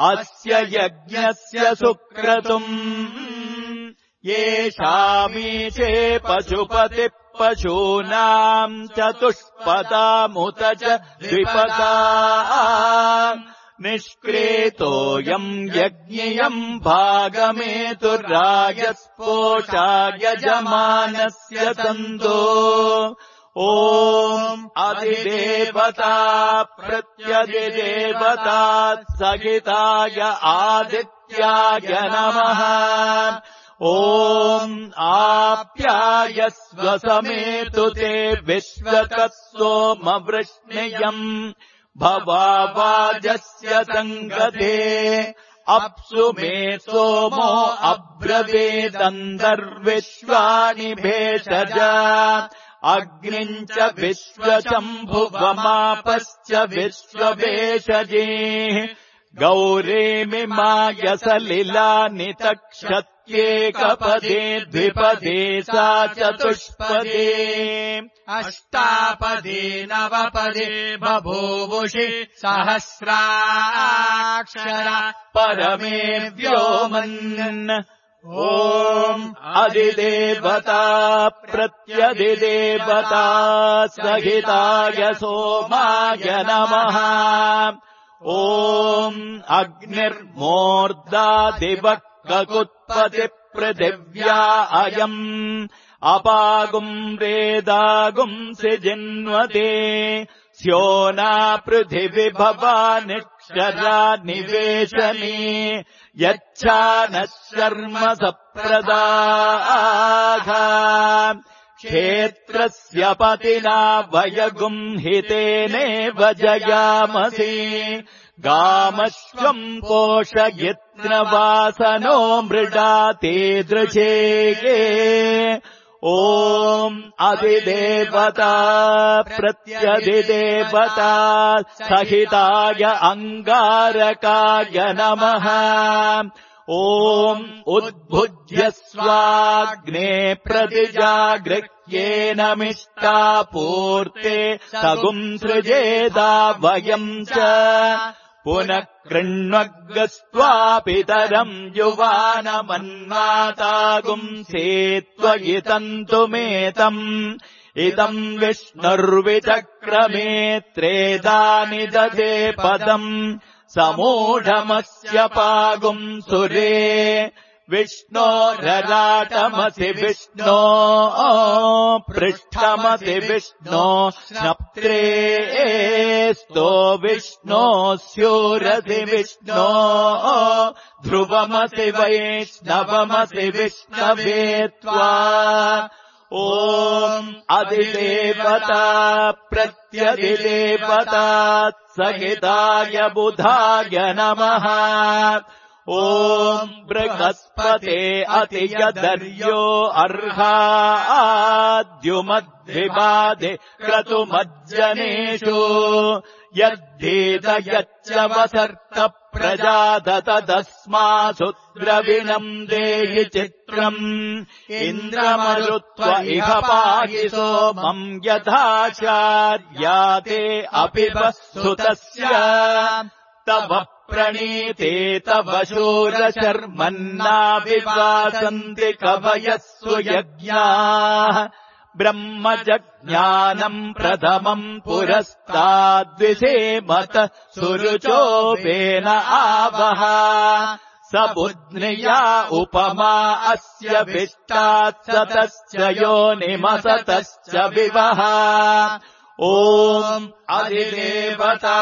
अस्य यज्ञस्य सुक्रतुम् येषामीचे पशुपतिः पशूनाम् चतुष्पदामुत च द्विपदा निष्क्रेतोऽयम् यज्ञियम् भागमेतुर्राजस्पोषा यजमानस्य तन्तो ॐ अधिदेवता प्रत्यधिदेवता सहिताय आदित्याय नमः ॐ आप्यायस्व समेतु ते विश्वतः सोमवृष्णियम् भवावाजस्य सङ्गते अप्सु मे सोमो अब्रवीदन्तर्विश्वानि भेषज अग्निम् च विश्वशम्भुवमापश्च विश्वभेषजे गौरीमिमायसलिलानि तक्षत्येकपदे द्विपदे सा चतुष्पदे अष्टापदे नवपदे बभूवुषि सहस्राक्षरा परमे व्योमन् ॐ अधिदेवता प्रत्यधिदेवता सहिताय सोमाय नमः। ॐ अग्निर्मूर्धादिवः ककुत्पतिपृथिव्या अयम् अपागुम् रेदागुम् सिजिन्वते स्योना पृथिवि भवानिक्षरा निवेशने यच्छानः शर्म सप्रदाः क्षेत्रस्य पतिना वयगुम् हितेनेव जयामसि गामश्वम् पोषयित्रवासनो मृडा ते दृशेगे। ॐ अधिदेवता प्रत्यधिदेवता सहिताय अङ्गारकाय नमः। ॐ उद्भुज्य स्वाग्ने प्रतिजागृह्येन मिष्टापूर्ते सगुम् सृजेदा वयम् च पुनः कृण्वग्स्त्वापितरम् युवानमन्वातागुम् सेत्वयितन्तुमेतम् इदम् विष्णुर्विचक्रमे त्रेधानि दधे पदम् समूढमस्य पागुम् सुरे विष्णोरराटमसि विष्णो पृष्ठमसि विष्णो स्नप्त्रे स्तो विष्णो स्यूरसि विष्णो ध्रुवमसि वैष्णवमसि विष्णवे त्वा। ॐ अधिदेवता प्रत्यधिदेवता सहिताय बुधाय नमः। ॐ बृहस्पते अतियदर्यो अर्हाद्युमद्विबाधे क्रतुमज्जनेषु यद्धेत यच्च वसर्त प्रजादत तस्मासु द्रविणम् देहि चित्रम् इन्द्रमरुत्व इह पाहि सोमम् यथाचार्याते अपि सुतस्य तव प्रणीते तव शूरशर्मन्नाभिवासन्ति कवयः सुयज्ञाः ब्रह्मजज्ञानम् प्रथमम् पुरस्ताद्विषेमत सुरुचोपेन आवह स बुध्निया उपमा अस्य विष्टात् सतश्च योनिमसतश्च विवः। ॐ अधिदेवता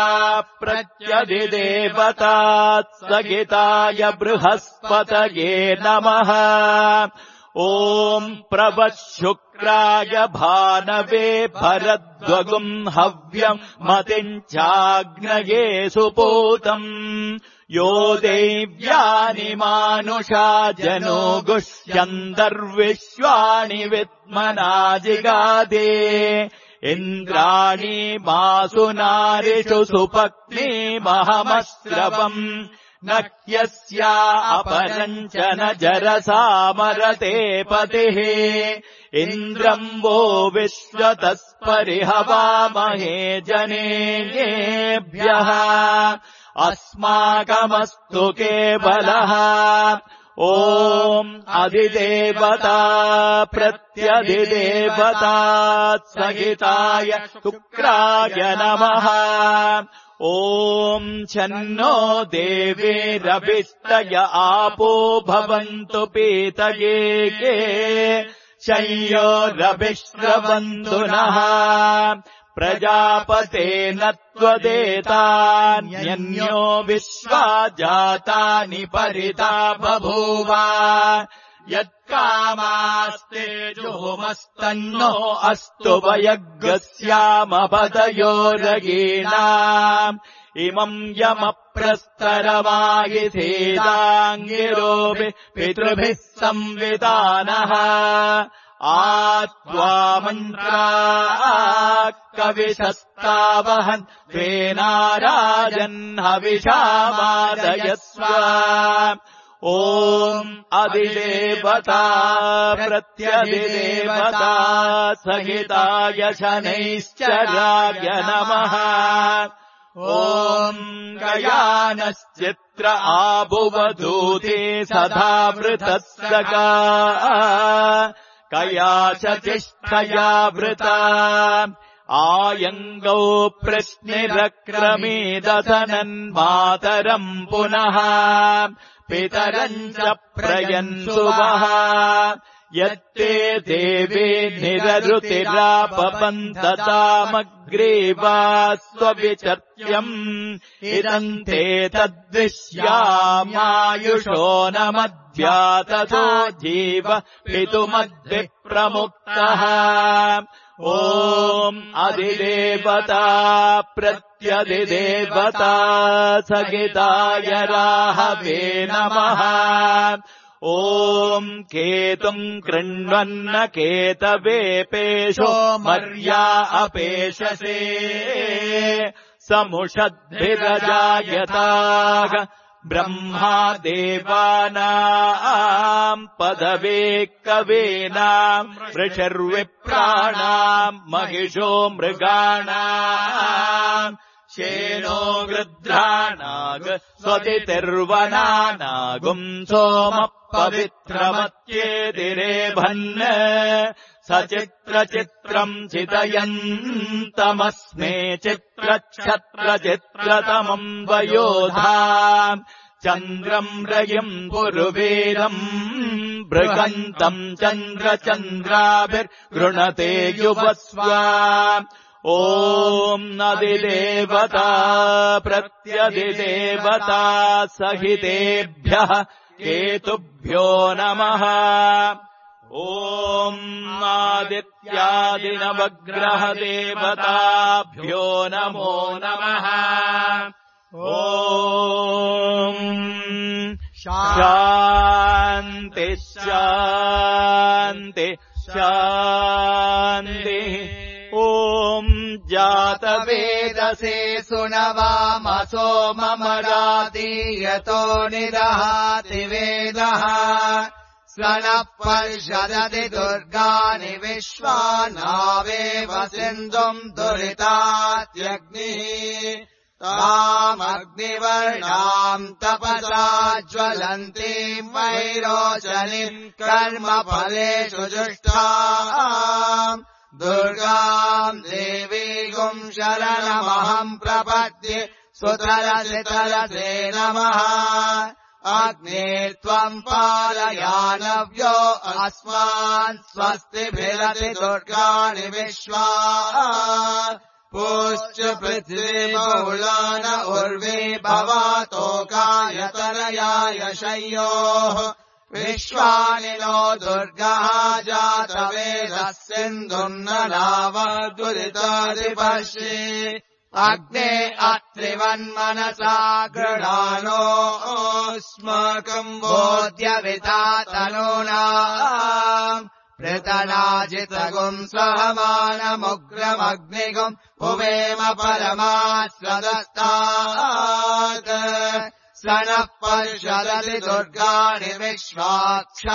प्रत्यधिदेवता सहिताय बृहस्पतये नमः। ॐ प्रवः शुक्राय भानवे भरद्वगुम् हव्यम् मतिम् चाग्नये सुपूतम् यो देव्यानि मानुषा जनो गुष्यन्तर्विश्वाणि विद्मना जिगादे इन्द्राणि मासु नारिषु सुपत्नीमहमश्रवम् न ह्यस्या अपरम् च न जरसामरते पतिः इन्द्रम् वो विश्वतस्परिहवामहे जनेभ्यः अस्माकमस्तु केवलः। ॐ अधिदेवता प्रत्यधिदेवता सहिताय शुक्राय नमः। ॐ छन्नो देवीरभिष्टय आपो भवन्तु पीतये के शय्योरभिश्रवन्तु नः प्रजापतेन त्वदेतान्यन्यो विश्वा जातानि परिता बभूव यत्कामास्ते जुहुमस्तन्नो अस्तु वयग्स्यामपदयोरगीणाम् इमम् यमप्रस्तरमायिथेदाङ्गिरोऽपि पितृभिः संविधानः आत्वा मन्त्रा कविशस्तावहन् त्वेनाराजन् हविषामादयस्व। ॐ अधिदेवता प्रत्यधिदेवता सहिताय शनैश्चराय नमः। ॐ गयानश्चित्र आभुवधूते सदा वृतस्सगा कया च तिष्ठया वृता आयङ्गौ प्रश्निरक्रमेदधनन्मातरम् पुनः पितरम् च प्रयन्सुवः यत्ते देवे निररुतिरापपन्ततामग्रे वा स्वविचर्यम् इदम् ते तद्विश्यामायुषो न मद्व्याततो जीव पितुमद्विप्रमुक्तः ॐ अधिदेवता प्रत्यधिदेवता सहिताय राहवे नमः ॐ केतुम् कृण्वन्न केतवे पेशो मर्या अपेशसे समुषद्भिरजायताः ब्रह्मा देवानाम् पदवे कवीनाम् ऋषिर्विप्राणाम् महिषो मृगाणाम् शेनो गृध्राणाग स्वतिर्वनानागुम् सोमः पवित्रमत्येतिरेभन् सचित्रचित्रम् चितयन्तमस्मे चित्रक्षत्रचित्रतमम् वयोधा चन्द्रम् रयिम् पुरुवीरम् बृहन्तम् चन्द्रचन्द्राभिर्गृणते युवस्व ॐ अधिदेवता प्रत्यधिदेवता सहितेभ्यः केतुभ्यो नमः ॐ आदित्यादिनवग्रहदेवताभ्यो नमो नमः ॐ शान्ति शान्ति शान्तिः ॐ जातवेदसे सुनवामसो ममरादीयतो निदहाति वेदः स्वनः पर्षदति दुर्गाणि विश्वानावेव सिन्धुम् दुरितात्यग्निः तामग्निवर्णाम् तपसा ज्वलन्तीम् वैरोचनीम् कर्मफलेषु जुष्टाम् दुर्गाम् देवीगुम् शरणमहम् प्रपद्ये सुतरसितरसे नमः अग्ने त्वम् पालयानव्यो अस्मान् स्वस्तिभिरति दुर्गाणि विश्वा पुश्च पृथ्वी बहुलान उर्वे भवातोकायतनयाय शय्योः विश्वानि नो दुर्गः जातवेदः सिन्धुम् न नावदुरितादिपश्ये अग्ने अत्रिवन्मनसा गृणानोऽस्माकम् बोध्यविता तनूनाम् पृतनाजितगुम् सहमानमुग्रमग्निगुम् भुवेम परमास्वदस्तात् स नः पर्षदति दुर्गाणि विश्वाक्षामद्देवो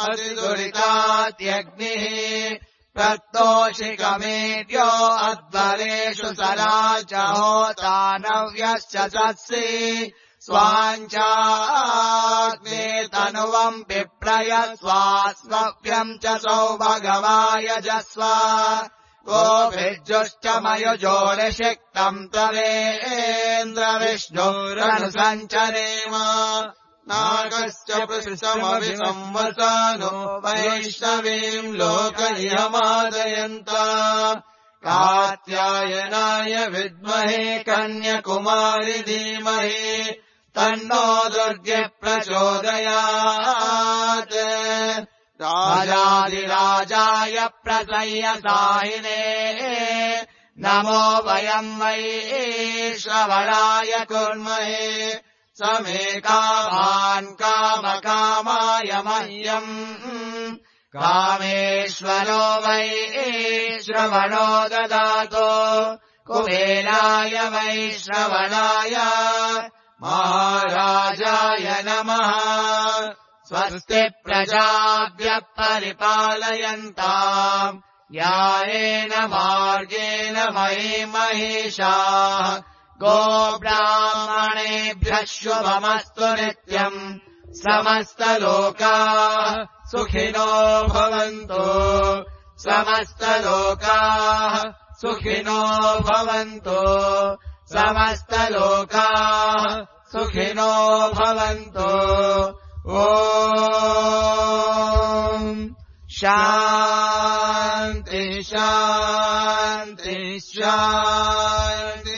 अतिदुरितात्यग्निः प्रत्तोषिकमेड्यो अध्वरेषु सराच होतानव्यश्च सत्सि स्वाञ्चाग्ने तनुवम् विप्रय स्वास्मभ्यम् च सौभगवायजस्व गोभिर्जुष्टमयुजोनिषिक्तम् तवेन्द्रविष्णुरनुसञ्चरेम नागश्च पृष्ठमभिसंवसानो वैष्णवीम् लोकयमादयन्त कात्यायनाय विद्महे कन्याकुमारि धीमहि तन्नो दुर्गे प्रचोदयात् राजाधिराजाय प्रसह्यसायिने नमो वयम् वै श्रवणाय कुर्महे समे कामान् कामकामाय मह्यम् कामेश्वरो वै श्रवणो ददातु कुबेराय वै श्रवणाय महाराजाय नमः स्वस्ति प्रजाभ्यः परिपालयन्ताम् न्यायेन मार्गेण मयि महिषाः गोब्राह्मणेभ्यः शुभमस्तु नित्यम् समस्तलोकाः सुखिनो भवन्तु समस्तलोकाः सुखिनो भवन्तु समस्तलोकाः सुखिनो भवन्तु ॐ शान्ति शान्ति शान्ति